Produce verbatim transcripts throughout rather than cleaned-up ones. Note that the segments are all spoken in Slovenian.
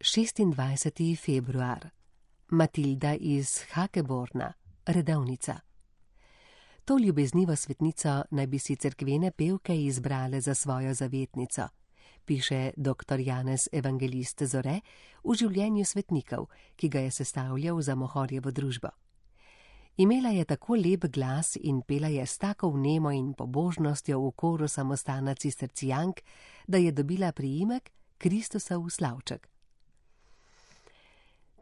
šestindvajseti februar. Matilda iz Hakeborna, redovnica. To ljubeznivo svetnico naj bi si cerkvene pevke izbrale za svojo zavetnico, piše doktor Janez Evangelist Zore v življenju svetnikov, ki ga je sestavljal za Mohorjevo družbo. Imela je tako lep glas in pela je s tako vnemo in pobožnostjo v koru samostana cistercijank, da je dobila priimek Kristusov slavček.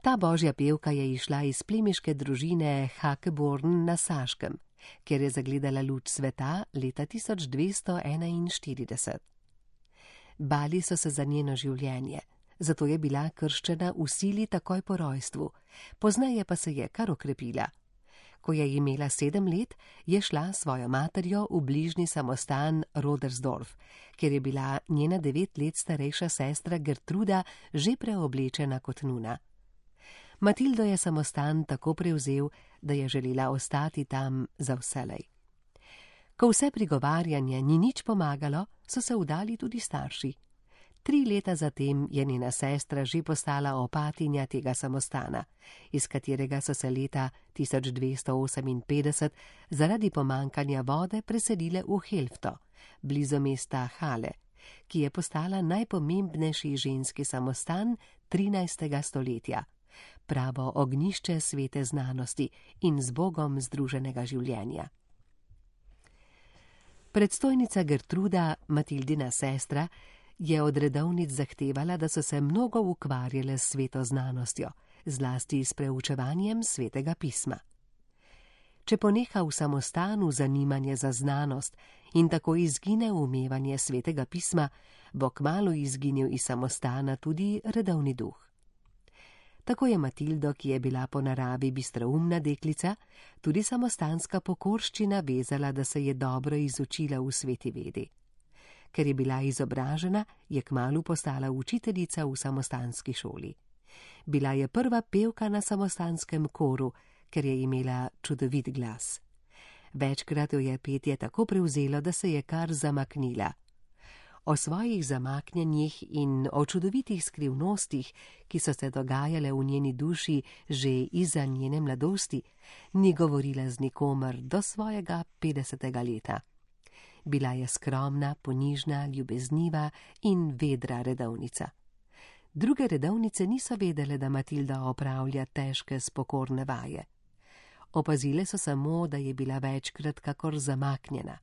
Ta božja pevka je išla iz plemiške družine Hakeborn na Saškem, kjer je zagledala luč sveta leta tisoč dvesto enainštirideset. Bali so se za njeno življenje, zato je bila krščena v sili takoj po rojstvu, pozneje pa se je kar okrepila. Ko je imela sedem let, je šla s svojo materjo v bližnji samostan Rodersdorf, kjer je bila njena devet let starejša sestra Gertruda že preoblečena kot nuna. Matildo je samostan tako prevzel, da je želela ostati tam za vselej. Ko vse prigovarjanje ni nič pomagalo, so se vdali tudi starši. Tri leta zatem je njena sestra že postala opatinja tega samostana, iz katerega so se leta tisoč dvesto oseminpetdeset zaradi pomankanja vode preselile v Helfto, blizu mesta Hale, ki je postala najpomembnejši ženski samostan trinajstega stoletja, pravo ognjišče svete znanosti in z Bogom združenega življenja. Predstojnica Gertruda, Matildina sestra, je od redovnic zahtevala, da so se mnogo ukvarjale s sveto znanostjo, zlasti s preučevanjem svetega pisma. Če poneha v samostanu zanimanje za znanost in tako izgine umevanje svetega pisma, bo kmalu izginil iz samostana tudi redovni duh. Tako je Matildo, ki je bila po naravi bistroumna deklica, tudi samostanska pokorščina vezala, da se je dobro izučila v sveti vedi. Ker je bila izobražena, je kmalu postala učiteljica v samostanski šoli. Bila je prva pevka na samostanskem koru, ker je imela čudovit glas. Večkrat jo je petje tako prevzelo, da se je kar zamaknila. O svojih zamaknjenjih in o čudovitih skrivnostih, ki so se dogajale v njeni duši že izza njene mladosti, ni govorila z nikomer do svojega petdesetega leta. Bila je skromna, ponižna, ljubezniva in vedra redovnica. Druge redovnice niso vedele, da Matilda opravlja težke spokorne vaje. Opazile so samo, da je bila večkrat kakor zamaknjena.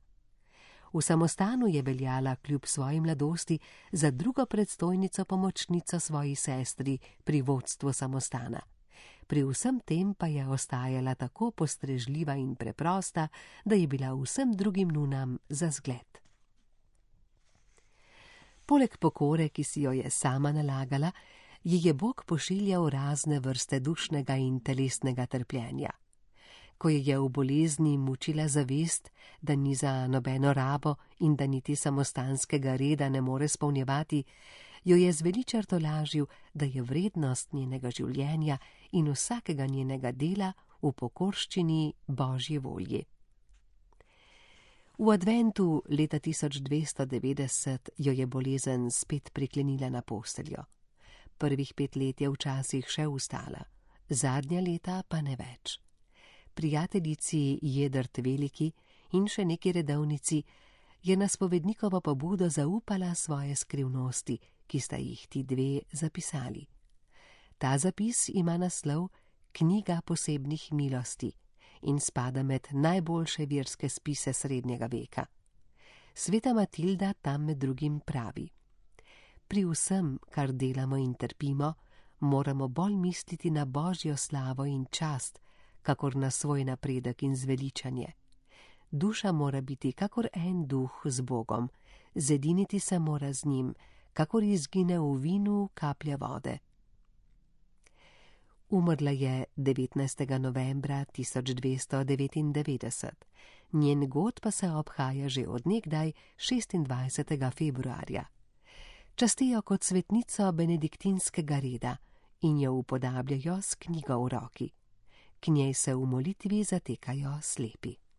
V samostanu je veljala kljub svoji mladosti za drugo predstojnico pomočnico svoji sestri pri vodstvu samostana. Pri vsem tem pa je ostajala tako postrežljiva in preprosta, da je bila vsem drugim nunam za zgled. Poleg pokore, ki si jo je sama nalagala, ji je Bog pošiljal razne vrste dušnega in telesnega trpljenja. Ko je v bolezni mučila zavest, da ni za nobeno rabo in da niti samostanskega reda ne more spolnjevati, jo je zveličarto lažil, da je vrednost njenega življenja in vsakega njenega dela v pokorščini Božji volji. V adventu leta tisoč dvesto devetdeset jo je bolezen spet priklenila na posteljo. Prvih pet let je včasih še vstala, zadnja leta pa ne več. Prijateljici Jedrt Veliki in še neki redovnici je na spovednikovo pobudo zaupala svoje skrivnosti, ki sta jih ti dve zapisali. Ta zapis ima naslov Knjiga posebnih milosti in spada med najboljše verske spise srednjega veka. Sveta Matilda tam med drugim pravi: Pri vsem, kar delamo in trpimo, moramo bolj misliti na Božjo slavo in čast, kakor na svoj napredek in zveličanje. Duša mora biti kakor en duh z Bogom, zediniti se mora z njim, kakor izgine v vinu kaplja vode. Umrla je devetnajstega novembra tisoč dvesto devetindevetdeset, njen god pa se obhaja že od nekdaj šestindvajsetega februarja. Častijo kot svetnico benediktinskega reda in jo upodabljajo s knjigo v roki. K njej se v molitvi zatekajo slepi.